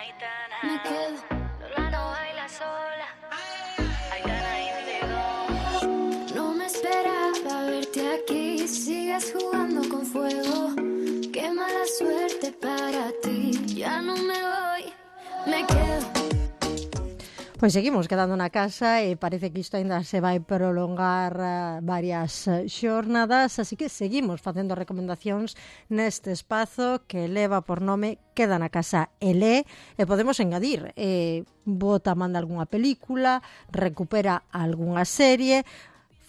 Me quedo. Lola no baila sola. Aitana Índigo. No me esperaba verte aquí. Sigues jugando con fuego. Qué mala suerte para ti. Ya no me voy. Me quedo. Pois seguimos quedando na casa e parece que isto ainda se vai prolongar varias xornadas, así que seguimos facendo recomendacións neste espazo que leva por nome Queda na casa e lé, e podemos engadir, bota, manda algunha película, recupera algunha serie,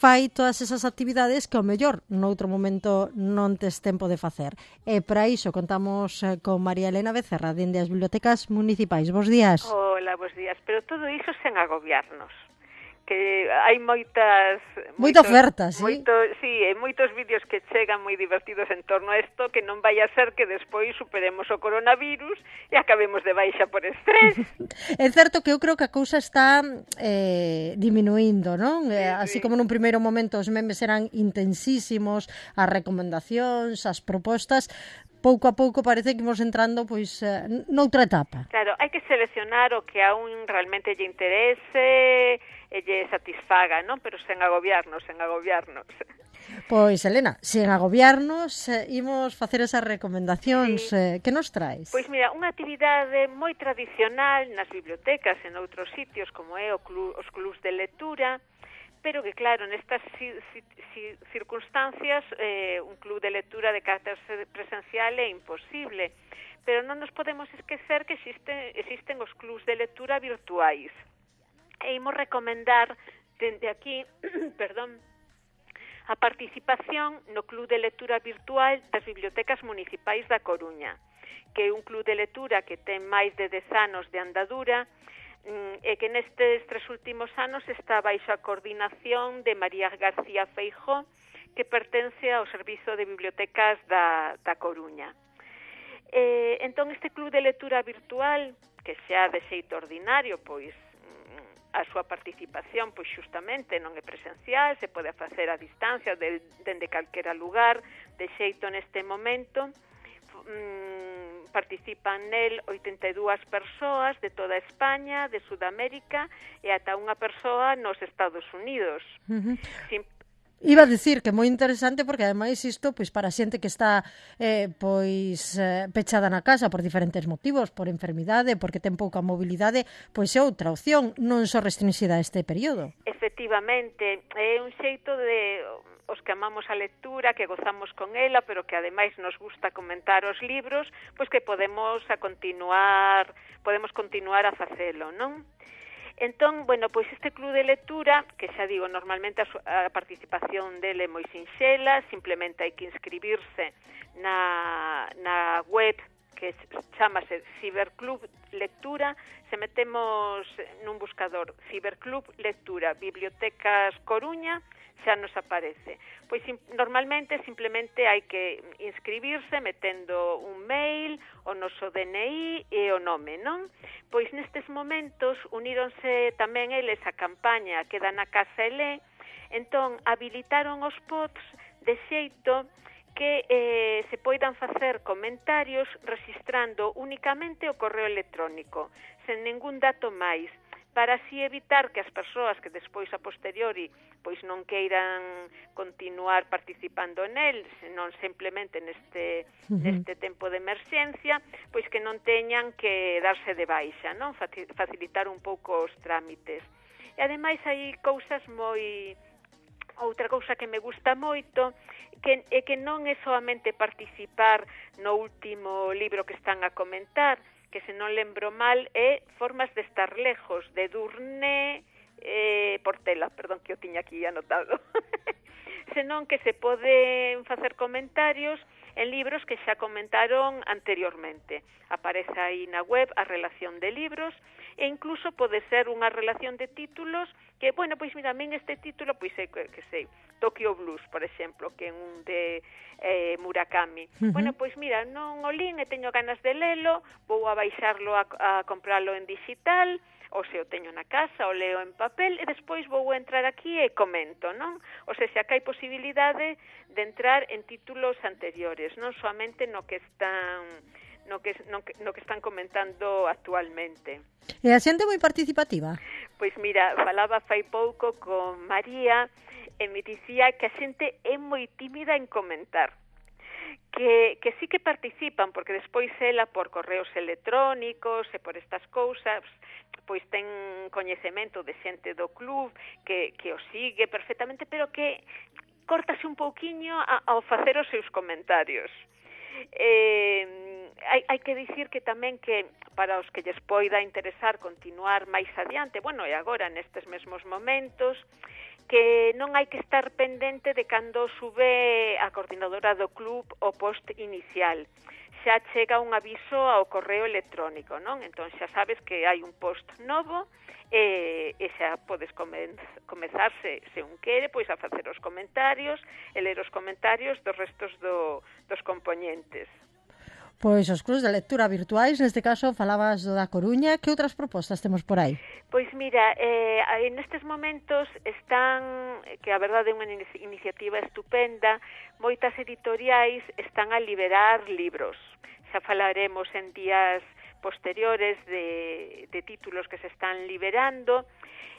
fai todas esas actividades que ao mellor noutro momento non tes tempo de facer. E para iso contamos con María Elena Becerra, dende as bibliotecas municipais. Bos días. Hola, bos días. Pero todo iso sen agobiarnos. Que hai moita oferta, sí? Moitos vídeos que chegan moi divertidos en torno a isto, que non vai a ser que despois superemos o coronavirus e acabemos de baixa por estrés. É certo que eu creo que a cousa está diminuindo, non? Sí. Así como nun primeiro momento os memes eran intensísimos, as recomendacións, as propostas, pouco a pouco parece que imos entrando pois noutra etapa. Claro, hai que seleccionar o que a un realmente lle interese e lle satisfaga, non? Pero sen agobiarnos. Pois, Elena, sen agobiarnos, imos facer esas recomendacións. Sí. Que nos traes? Pois mira, unha actividade moi tradicional nas bibliotecas e en outros sitios, como é os clubs de lectura, pero que, claro, nestas circunstancias, un club de lectura de carácter presencial é imposible. Pero non nos podemos esquecer que existen os clubs de lectura virtuais. E imos recomendar dende aquí, perdón, a participación no Club de Lectura Virtual das Bibliotecas Municipais da Coruña, que é un club de lectura que ten máis de 10 anos de andadura e que nestes 3 últimos anos está baixo a coordinación de María García Feijó, que pertence ao Servizo de Bibliotecas da Coruña. Entón, este club de lectura virtual, que xa de xeito ordinario, pois a súa participación pois xustamente non é presencial, se pode facer a distancia dende calquera lugar, de xeito neste momento participan nel 82 persoas de toda España, de Sudamérica e ata unha persoa nos Estados Unidos. Iba a dicir que é moi interesante porque ademais isto pois para a xente que está pechada na casa por diferentes motivos, por enfermidade, porque ten pouca mobilidade, pois é outra opción, non só restringida a este período. Efectivamente, é un xeito de os que amamos a lectura, que gozamos con ela, pero que ademais nos gusta comentar os libros, pois que podemos continuar a facelo, non? Entón, bueno, pois este club de lectura, que xa digo, normalmente a participación dele é moi sinxela, simplemente hai que inscribirse na web que chamase Ciberclub Lectura. Se metemos nun buscador Ciberclub Lectura Bibliotecas Coruña, xa nos aparece. Pois normalmente simplemente hai que inscribirse metendo un mail, o noso DNI e o nome, non? Pois nestes momentos uníronse tamén eles a campaña Queda na casa e lé, entón habilitaron os pods de xeito que se poidan facer comentarios registrando únicamente o correo electrónico, sen ningún dato máis, para así evitar que as persoas que despois a posteriori pois non queiran continuar participando nel, senón simplemente neste tempo de emerxencia, pois que non teñan que darse de baixa, non? Facilitar un pouco os trámites. E ademais hai cousas outra cousa que me gusta moito, é que non é solamente participar no último libro que están a comentar, que se non lembro mal é Formas de estar lejos, de Durné Portela, perdón, que eu tiña aquí anotado. Senón que se poden facer comentarios en libros que xa comentaron anteriormente. Aparece aí na web a relación de libros e incluso pode ser unha relación de títulos que, bueno, pois mira, a min este título, pois sei, Tokyo Blues, por exemplo, que é un de Murakami. Bueno, pois mira, non o lín e teño ganas de lelo, vou a baixarlo a comprarlo en digital, ou se o teño na casa, o leo en papel, e despois vou entrar aquí e comento, non? O sea, xa que hai posibilidade de entrar en títulos anteriores, non soamente no que están no que están comentando actualmente. E a xente moi participativa? Pois mira, falaba fai pouco con María e me dicía que a xente é moi tímida en comentar. Que sí que participan, porque despois ela por correos electrónicos e por estas cousas, pois ten coñecemento de xente do club que o sigue perfectamente, pero que córtase un pouquiño ao facer os seus comentarios. Hai que dicir que tamén que para os que lles poida interesar continuar máis adiante, bueno, e agora nestes mesmos momentos, que non hai que estar pendente de cando sube a coordinadora do club o post inicial. Xa chega un aviso ao correo electrónico, non? Entón xa sabes que hai un post novo e xa podes comezar, se un quere, pois a facer os comentarios e ler os comentarios dos restos dos compoñentes. Pois os clubs de lectura virtuais, neste caso falabas do da Coruña, que outras propostas temos por aí? Pois mira, nestes momentos están, que a verdade é unha iniciativa estupenda, moitas editoriais están a liberar libros. Xa falaremos en días posteriores de títulos que se están liberando,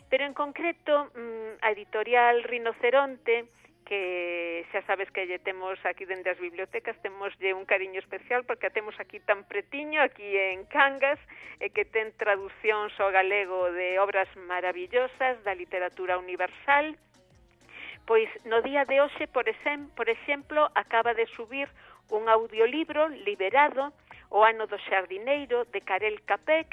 pero en concreto a editorial Rinoceronte, que xa sabes que lle temos aquí dende as bibliotecas, temoslle un cariño especial porque a temos aquí tan pretiño, aquí en Cangas, e que ten traducións ao galego de obras maravillosas da literatura universal. Pois no día de hoxe, por exemplo, acaba de subir un audiolibro liberado, O ano do xardineiro, de Karel Capek,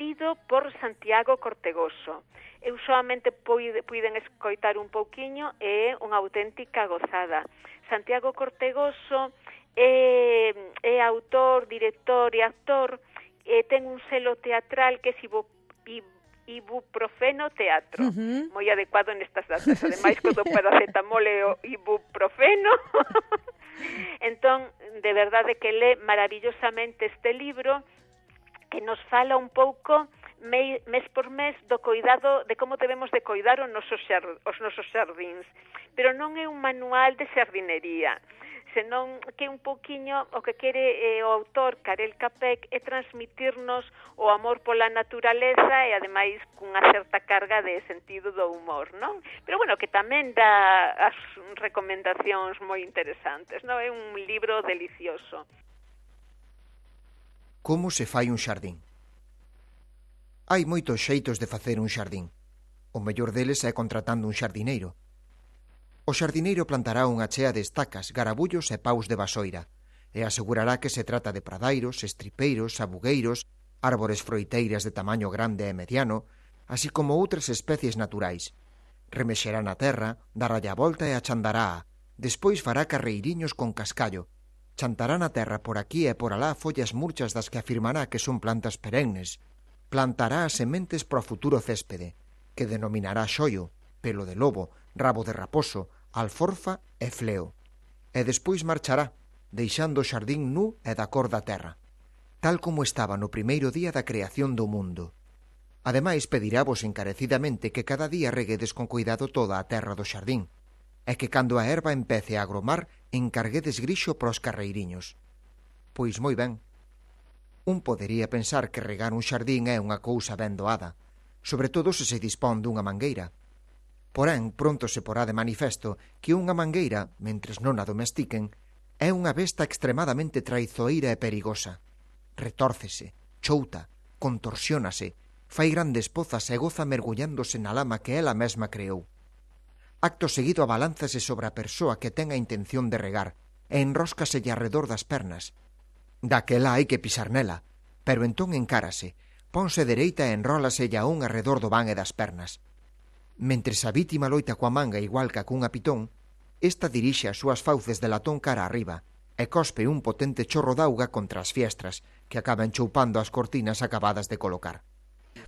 lido por Santiago Cortegoso. Eu solamente puiden escoitar un pouquiño e é unha auténtica gozada. Santiago Cortegoso é autor, director e actor, ten un selo teatral que é Ibuprofeno Teatro, moi adecuado nestas datas, ademais co do paracetamol e o ibuprofeno. Entón, de verdade que lé maravillosamente este libro, que nos fala un pouco mes por mes do coidado, de como debemos de coidar os nosos xardíns. Pero non é un manual de xardinería, senón que un pouquiño o que quere o autor Karel Capek é transmitirnos o amor pola naturaleza e ademais cunha certa carga de sentido do humor, non? Pero bueno, que tamén dá as recomendacións moi interesantes, non? É un libro delicioso. Como se fai un xardín? Hai moitos xeitos de facer un xardín. O mellor deles é contratando un xardineiro. O xardineiro plantará unha chea de estacas, garabullos e paus de vasoira, e asegurará que se trata de pradairos, estripeiros, sabugueiros, árbores froiteiras de tamaño grande e mediano, así como outras especies naturais. Remexerá na terra, daralle a volta e achandará. Despois fará carreiriños con cascallo. Chantará na terra por aquí e por alá follas murchas das que afirmará que son plantas perennes. Plantará as sementes para o futuro céspede, que denominará xoio, pelo de lobo, rabo de raposo, alforfa e fleo. E despois marchará, deixando o xardín nu e da cor da terra, tal como estaba no primeiro día da creación do mundo. Ademais, pedirávos encarecidamente que cada día reguedes con cuidado toda a terra do xardín, e que cando a herba empece a agromar, encarguedes grixo para os carreiriños. Pois moi ben. Un podería pensar que regar un xardín é unha cousa ben doada, sobre todo se dispón dunha mangueira. Porén, pronto se porá de manifesto que unha mangueira, mentres non a domestiquen, é unha besta extremadamente traizoeira e perigosa. Retórcese, chouta, contorsiónase, fai grandes pozas e goza mergullándose na lama que ela mesma creou. Acto seguido abalánzase sobre a persoa que ten a intención de regar e enróscaselle arredor das pernas. Daquela hai que pisar nela, pero entón encárase, ponse dereita e enrólaselle a un arredor do van e das pernas. Mentres a vítima loita coa manga igual que cunha pitón, esta dirixe as súas fauces de latón cara arriba e cospe un potente chorro d'auga contra as fiestras que acaban choupando as cortinas acabadas de colocar.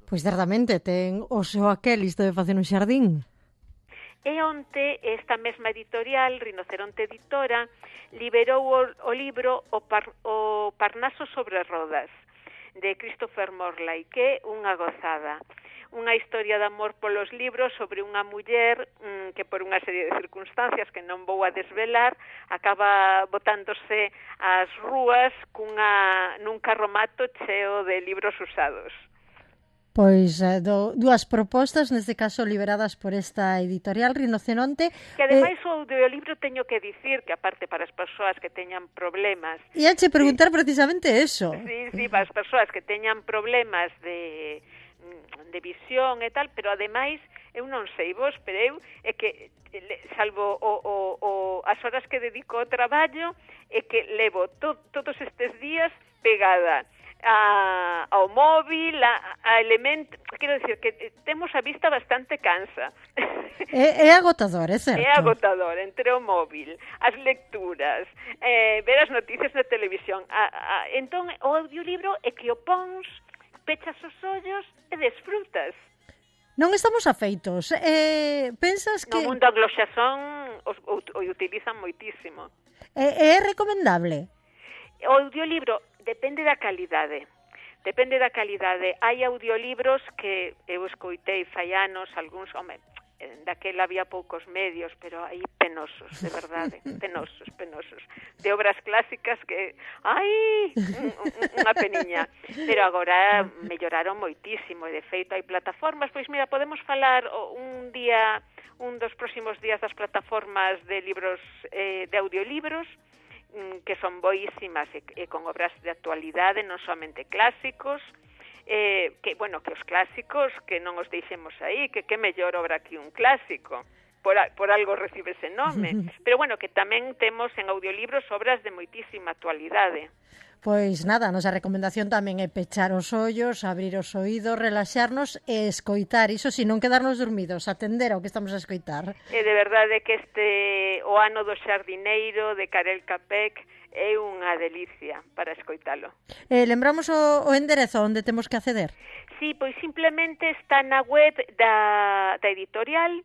Pois certamente ten o seu aquel isto de facer un xardín. E onte esta mesma editorial, Rinoceronte Editora, liberou o libro O Parnaso sobre rodas, de Christopher Morley, que é unha gozada. unha historia de amor polos libros sobre unha muller que por unha serie de circunstancias que non vou a desvelar acaba botándose ás rúas nun carromato cheo de libros usados. Pois dúas propostas, neste caso liberadas por esta editorial Rinoceronte. Que ademais o audiolibro teño que dicir que aparte para as persoas que teñan problemas... E ache preguntar precisamente eso. Sí, para as persoas que teñan problemas de visión e tal, pero ademais eu non sei vos, pero eu é que salvo as horas que dedico ao traballo é que levo todos estes días pegada ao móvil, a elemento, quero dicir que temos a vista bastante cansa. É agotador, é certo. É agotador, entre o móvil, as lecturas, ver as noticias na televisión. Entón, o audiolibro é que o pons, pechas os ollos e desfrutas. Non estamos afeitos. Pensas que... No mundo anglosaxón o utilizan moitísimo. É recomendable? O audiolibro depende da calidade. Hai audiolibros que eu escoitei fai anos, algúns, daquela había poucos medios, pero aí penosos, de verdade, penosos. De obras clásicas que, unha peniña. Pero agora melloraron moitísimo, e de feito hai plataformas, pois mira, podemos falar un dos próximos días das plataformas de libros, de audiolibros, que son boísimas e con obras de actualidade, non somente clásicos, que os clásicos que non os deixemos aí, que mellor obra que un clásico, por algo recibe ese nome, pero que tamén temos en audiolibros obras de moitísima actualidade. Pois nada, a nosa recomendación tamén é pechar os ollos, abrir os oídos, relaxarnos e escoitar, iso si, non quedarnos dormidos, atender ao que estamos a escoitar. E de verdade que o ano do xardineiro de Karel Capek é unha delicia para escoitalo. Lembramos o enderezo onde temos que acceder? Sí, pois simplemente está na web da editorial,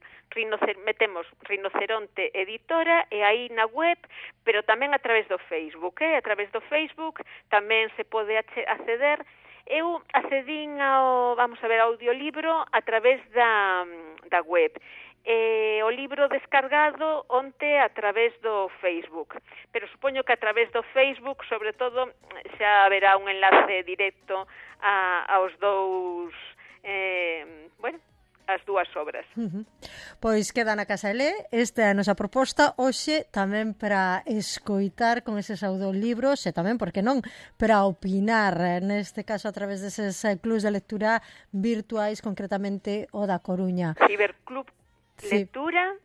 metemos Rinoceronte Editora e aí na web, pero tamén a través do Facebook, a través do Facebook tamén se pode acceder. Eu accedín ao audiolibro a través da web. O libro descargado onte a través do Facebook, pero supoño que a través do Facebook, sobre todo, xa haberá un enlace directo aos dous, as dúas obras. Pois queda na casa Elé, esta é a nosa proposta hoxe tamén para escoitar con eses audiolibros e tamén, porque non, para opinar, neste caso a través deses clubs de lectura virtuais, concretamente o da Coruña. Ciberclub Lectura,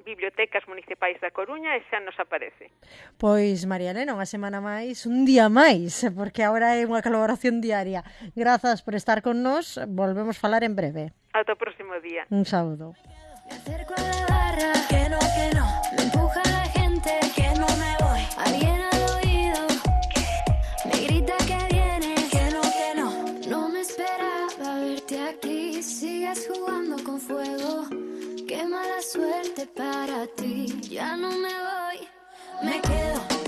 Bibliotecas Municipais da Coruña, e xa nos aparece. Pois, María Elena, unha semana máis, un día máis, porque agora é unha colaboración diaria. Grazas por estar con nós, volvemos falar en breve. Ata o próximo día. Un saúdo. Me acerco a la barra, que no, me empuja la gente, que no me voy. Alguien al oído, me grita que viene, que no. No me esperaba verte aquí, sigas jugando con fuego. Qué mala suerte para ti, ya no me voy, me quedo.